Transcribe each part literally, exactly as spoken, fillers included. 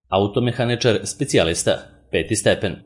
Automehaničar specijalista, peti stepen.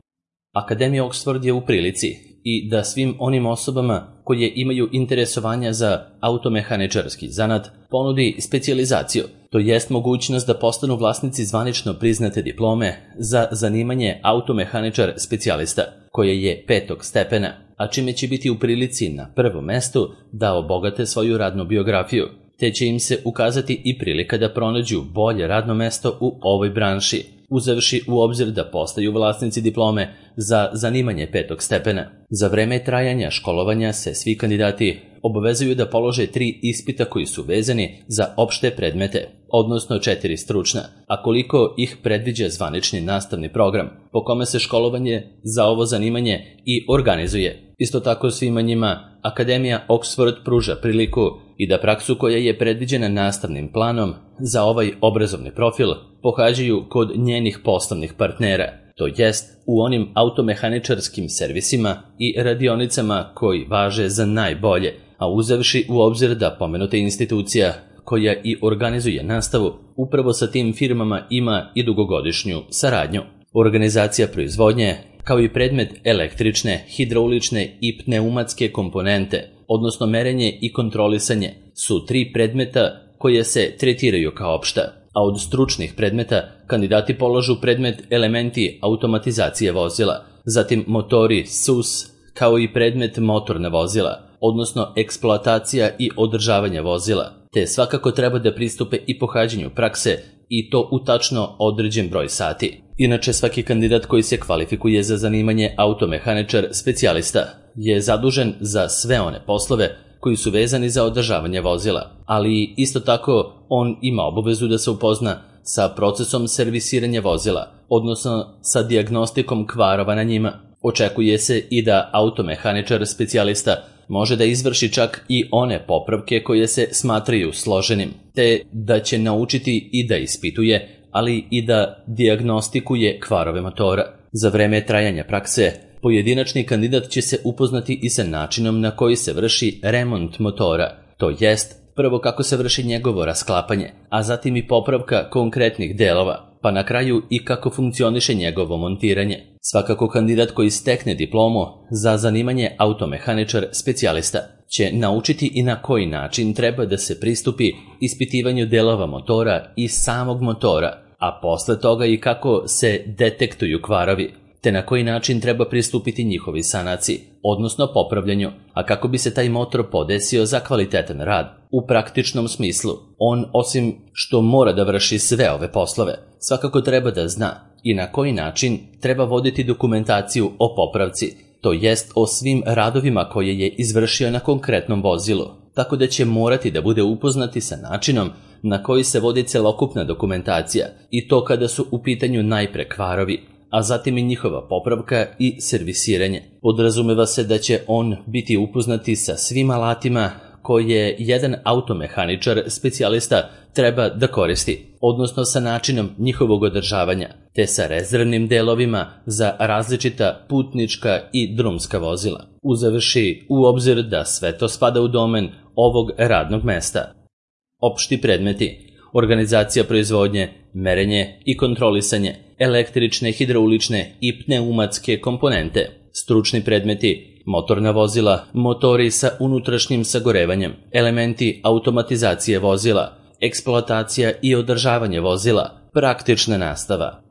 Akademija Oxford je u prilici i da svim onim osobama koje imaju interesovanja za automehaničarski zanat ponudi specijalizaciju, to jest mogućnost da postanu vlasnici zvanično priznate diplome za zanimanje automehaničar specijalista, koje je petog stepena, a čime će biti u prilici na prvom mestu da obogate svoju radnu biografiju, te će im se ukazati i prilika da pronađu bolje radno mesto u ovoj branši, uzevši u obzir da postaju vlasnici diplome za zanimanje petog stepena. Za vreme trajanja školovanja se svi kandidati obavezuju da polože tri ispita koji su vezani za opšte predmete, odnosno četiri stručna, a koliko ih predviđa zvanični nastavni program, po kome se školovanje za ovo zanimanje i organizuje. Isto tako svima njima Akademija Oxford pruža priliku i da praksu koja je predviđena nastavnim planom za ovaj obrazovni profil pohađaju kod njenih poslovnih partnera, to jest u onim automehaničarskim servisima i radionicama koji važe za najbolje, a uzevši u obzir da pomenuta institucija koja i organizuje nastavu upravo sa tim firmama ima i dugogodišnju saradnju. Organizacija proizvodnje, kao i predmet električne, hidraulične i pneumatske komponente, odnosno merenje i kontrolisanje, su tri predmeta koje se tretiraju kao opšta, a od stručnih predmeta kandidati polažu predmet elementi automatizacije vozila, zatim motori S U S, kao i predmet motorna vozila, odnosno eksploatacija i održavanje vozila, te svakako treba da pristupe i pohađanju prakse i to u tačno određen broj sati. Inače, svaki kandidat koji se kvalifikuje za zanimanje automehaničar specijalista je zadužen za sve one poslove koji su vezani za održavanje vozila, ali isto tako on ima obavezu da se upozna sa procesom servisiranja vozila, odnosno sa dijagnostikom kvarova na njima. Očekuje se i da automehaničar specijalista može da izvrši čak i one popravke koje se smatraju složenim, te da će naučiti i da ispituje, ali i da dijagnostikuje kvarove motora. Za vreme trajanja prakse, pojedinačni kandidat će se upoznati i sa načinom na koji se vrši remont motora, to jest prvo kako se vrši njegovo rasklapanje, a zatim i popravka konkretnih delova, pa na kraju i kako funkcioniše njegovo montiranje. Svakako kandidat koji stekne diplomu za zanimanje automehaničar specijalista će naučiti i na koji način treba da se pristupi ispitivanju delova motora i samog motora, a posle toga i kako se detektuju kvarovi, te na koji način treba pristupiti njihovi sanaciji, odnosno popravljanju, a kako bi se taj motor podesio za kvalitetan rad. U praktičnom smislu, on osim što mora da vrši sve ove poslove, svakako treba da zna i na koji način treba voditi dokumentaciju o popravci, to jest o svim radovima koje je izvršio na konkretnom vozilu, tako da će morati da bude upoznati sa načinom na koji se vodi celokupna dokumentacija i to kada su u pitanju najpre kvarovi, a zatim i njihova popravka i servisiranje. Podrazumeva se da će on biti upoznati sa svim alatima koje jedan automehaničar specijalista treba da koristi, odnosno sa načinom njihovog održavanja, te sa rezervnim delovima za različita putnička i drumska vozila, uzevši u obzir da sve to spada u domen ovog radnog mesta. Opšti predmeti: organizacija proizvodnje, merenje i kontrolisanje, električne, hidraulične i pneumatske komponente. Stručni predmeti: motorna vozila, motori sa unutrašnjim sagorevanjem, elementi automatizacije vozila, eksploatacija i održavanje vozila, praktična nastava.